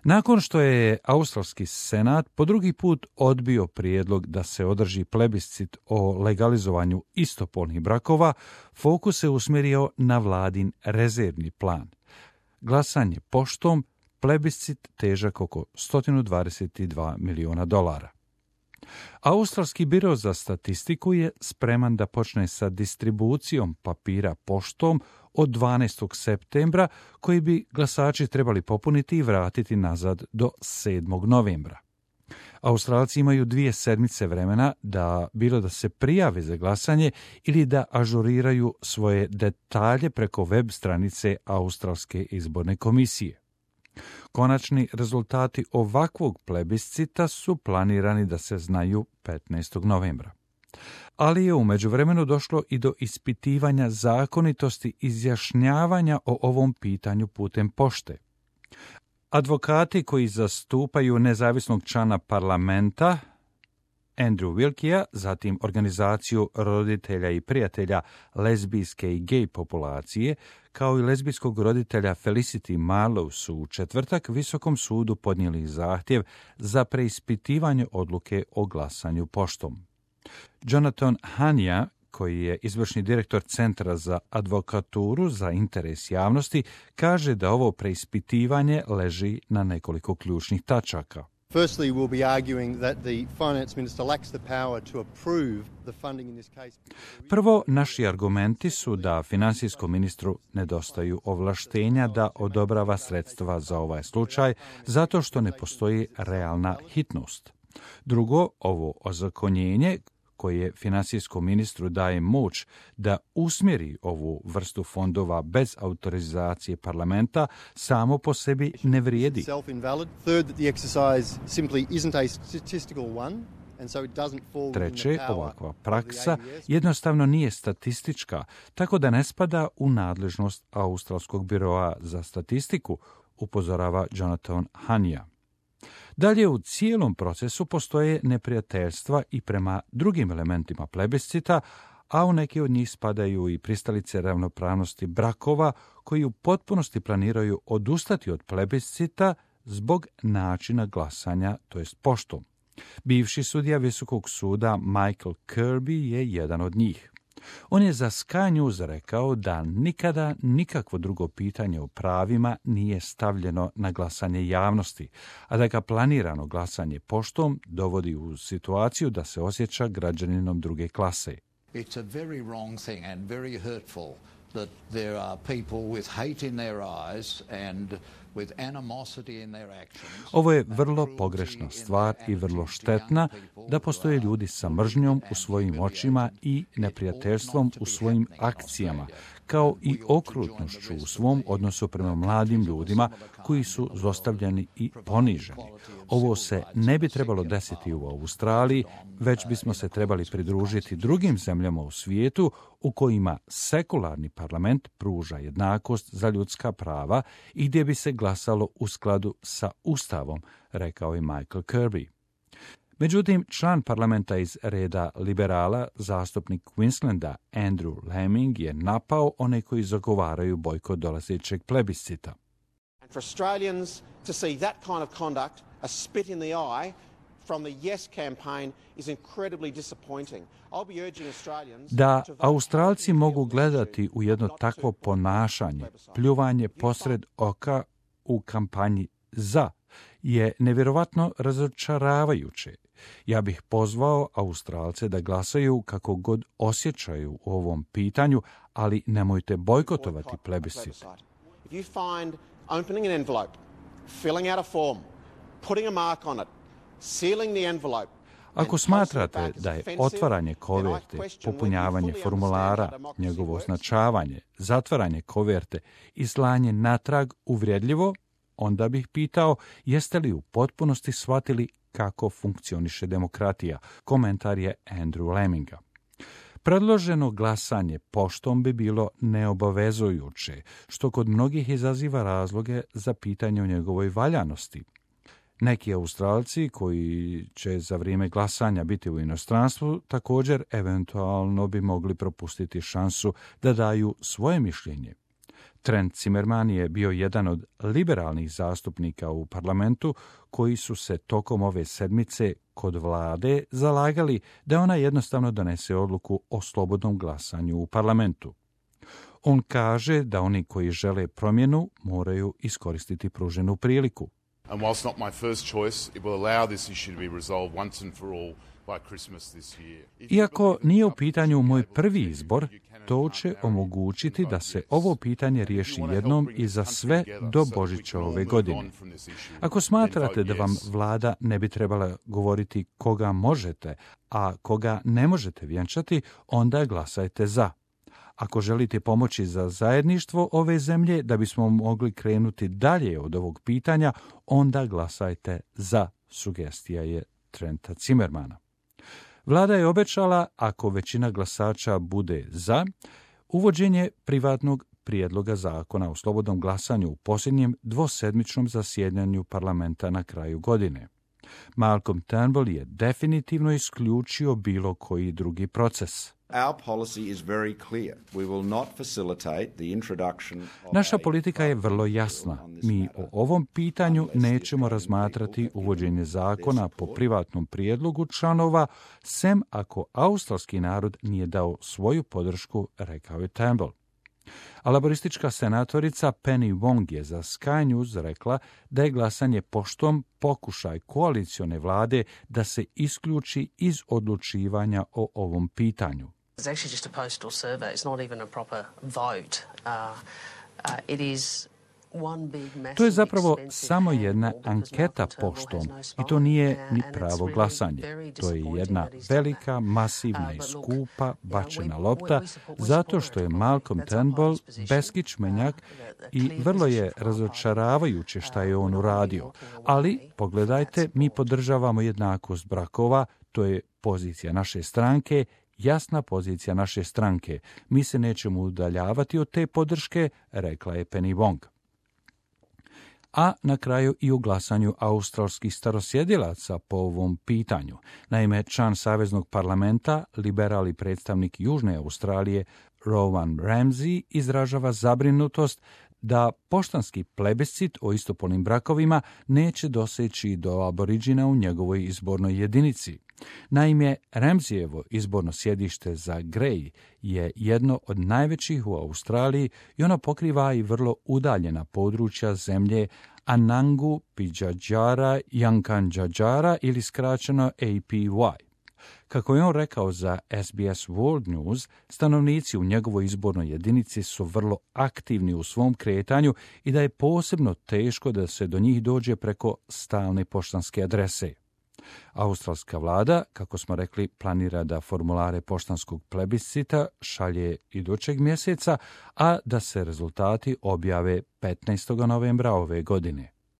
Nakon što je Australski senat po drugi put odbio prijedlog da se održi plebiscit o legalizovanju istopolnih brakova, fokus se usmjerio na vladin rezervni plan. Glasanje poštom, plebiscit težak oko $122 miliona. Australski biro za statistiku je spreman da počne sa distribucijom papira poštom od 12. septembra, koji bi glasači trebali popuniti i vratiti nazad do 7. novembra. Australci imaju 2 sedmice vremena bilo da se prijave za glasanje ili da ažuriraju svoje detalje preko web stranice Australske izborne komisije. Konačni rezultati ovakvog plebiscita su planirani da se znaju 15. novembra. Ali je u međuvremenu došlo i do ispitivanja zakonitosti izjašnjavanja o ovom pitanju putem pošte. Advokati koji zastupaju nezavisnog člana parlamenta, Andrew Wilkija, zatim organizaciju roditelja i prijatelja lezbijske i gej populacije, kao i lezbijskog roditelja Felicity Marlowe su u četvrtak Visokom sudu podnijeli zahtjev za preispitivanje odluke o glasanju poštom. Jonathan Hania, koji je izvršni direktor Centra za advokaturu za interes javnosti, kaže da ovo preispitivanje leži na nekoliko ključnih tačaka. Firstly, we'll be arguing that the finance minister lacks the power to approve the funding in this case. Prvo, naši argumenti su da finansijskom ministru nedostaju ovlaštenja da odobrava sredstva za ovaj slučaj, zato što ne postoji realna hitnost. Drugo, ovo ozakonjenje koje finansijskom ministru daje moć da usmjeri ovu vrstu fondova bez autorizacije parlamenta, samo po sebi ne vrijedi. Treće, ovakva praksa jednostavno nije statistička, tako da ne spada u nadležnost Australskog biroa za statistiku, upozorava Jonathan Hania. Dalje, u cijelom procesu postoje neprijateljstva i prema drugim elementima plebiscita, a u neki od njih spadaju i pristalice ravnopravnosti brakova koji u potpunosti planiraju odustati od plebiscita zbog načina glasanja, to jest poštom. Bivši sudija Visokog suda Michael Kirby je jedan od njih. On je za Sky News rekao da nikada nikakvo drugo pitanje o pravima nije stavljeno na glasanje javnosti, a da ga planirano glasanje poštom dovodi u situaciju da se osjeća građaninom druge klase. It's a very wrong thing and very hurtful that there are people with hate in their eyes and with animosity in their actions. Ovo je vrlo pogrešna stvar i vrlo štetna da postoje ljudi sa mržnjom u svojim očima i neprijateljstvom u svojim akcijama, kao i okrutnošću u svom odnosu prema mladim ljudima koji su zlostavljani i poniženi. Ovo se ne bi trebalo desiti u Australiji, već bismo se trebali pridružiti drugim zemljama u svijetu u kojima sekularni parlament pruža jednakost za ljudska prava i gdje bi se glasalo u skladu sa Ustavom, rekao je Michael Kirby. Međutim, član parlamenta iz reda liberala, zastupnik Queenslanda Andrew Laming je napao one koji zagovaraju bojkot dolazećeg plebiscita. For Australians to see that kind of conduct, a spit in the eye from the Yes campaign is incredibly disappointing. I'll be urging Australians da Australci mogu gledati u jedno takvo ponašanje, pljuvanje posred oka u kampanji za, je nevjerovatno razočaravajuće. Ja bih pozvao Australce da glasaju kako god osjećaju u ovom pitanju, ali nemojte bojkotovati plebiscit. If you find opening an envelope, filling out a form, putting a mark on it, sealing the envelope. Ako smatrate da je otvaranje koverte, popunjavanje formulara, njegovo označavanje, zatvaranje koverte i slanje natrag uvredljivo, onda bih pitao jeste li u potpunosti shvatili kako funkcioniše demokratija. Komentar je Andrew Laminga. Predloženo glasanje poštom bi bilo neobavezujuće, što kod mnogih izaziva razloge za pitanje o njegovoj valjanosti. Neki Australci koji će za vrijeme glasanja biti u inostranstvu također eventualno bi mogli propustiti šansu da daju svoje mišljenje. Trent Zimmerman je bio jedan od liberalnih zastupnika u parlamentu koji su se tokom ove sedmice kod vlade zalagali da ona jednostavno donese odluku o slobodnom glasanju u parlamentu. On kaže da oni koji žele promjenu moraju iskoristiti pruženu priliku. And whilst not my first choice, it will allow this issue to be resolved once and for all by Christmas this year. Iako nije u pitanju moj prvi izbor, to će omogućiti da se ovo pitanje riješi jednom i za sve do Božića ove godine. Ako smatrate da vam vlada ne bi trebala govoriti koga možete, a koga ne možete vjenčati, onda glasajte za. Ako želite pomoći za zajedništvo ove zemlje da bismo mogli krenuti dalje od ovog pitanja, onda glasajte za, sugestija je Trenta Zimmermana. Vlada je obećala, ako većina glasača bude za, uvođenje privatnog prijedloga zakona o slobodnom glasanju u posljednjem dvosedmičnom zasjedanju parlamenta na kraju godine. Malcolm Turnbull je definitivno isključio bilo koji drugi proces. Naša politika je vrlo jasna. Mi o ovom pitanju nećemo razmatrati uvođenje zakona po privatnom prijedlogu članova, sem ako australski narod nije dao svoju podršku, rekao je Turnbull. A laboristička senatorica Penny Wong je za Sky News rekla da je glasanje poštom pokušaj koalicione vlade da se isključi iz odlučivanja o ovom pitanju. It's actually just a postal survey. It's not even a proper vote. It is one big, massive, to je zapravo expensive samo jedna handle because anketa Malcolm Turnbull poštom has no i to nije spine, ni and pravo it's really glasanje. very To je jedna disappointing that he's done velika, that. masivna i But look, skupa bačena we lopta support zato što je Republican. Malcolm That's our Turnbull party's position. beskičmenjak The i clear vrlo je position for our razočaravajuće šta je on we're not uradio. walking away Ali, from pogledajte, that mi support. podržavamo jednakost brakova, to je pozicija naše stranke, jasna pozicija naše stranke. Mi se nećemo udaljavati od te podrške, rekla je Penny Wong. A na kraju i u glasanju australskih starosjedilaca po ovom pitanju. Naime, član Saveznog parlamenta, liberal i predstavnik Južne Australije, Rowan Ramsey, izražava zabrinutost da poštanski plebiscit o istopolnim brakovima neće doseći do aboriđina u njegovoj izbornoj jedinici. Naime, Ramseyevo izborno sjedište za Grey je jedno od najvećih u Australiji i ono pokriva i vrlo udaljena područja zemlje Anangu, Pidjadjara, Yankunytjatjara ili skraćeno APY. Kako je on rekao za SBS World News, stanovnici u njegovoj izbornoj jedinici su vrlo aktivni u svom kretanju i da je posebno teško da se do njih dođe preko stalne poštanske adrese. Australska vlada, kako smo rekli, planira da formulare poštanskog plebiscita šalje idućeg mjeseca, a da se rezultati objave 15. novembra ove godine.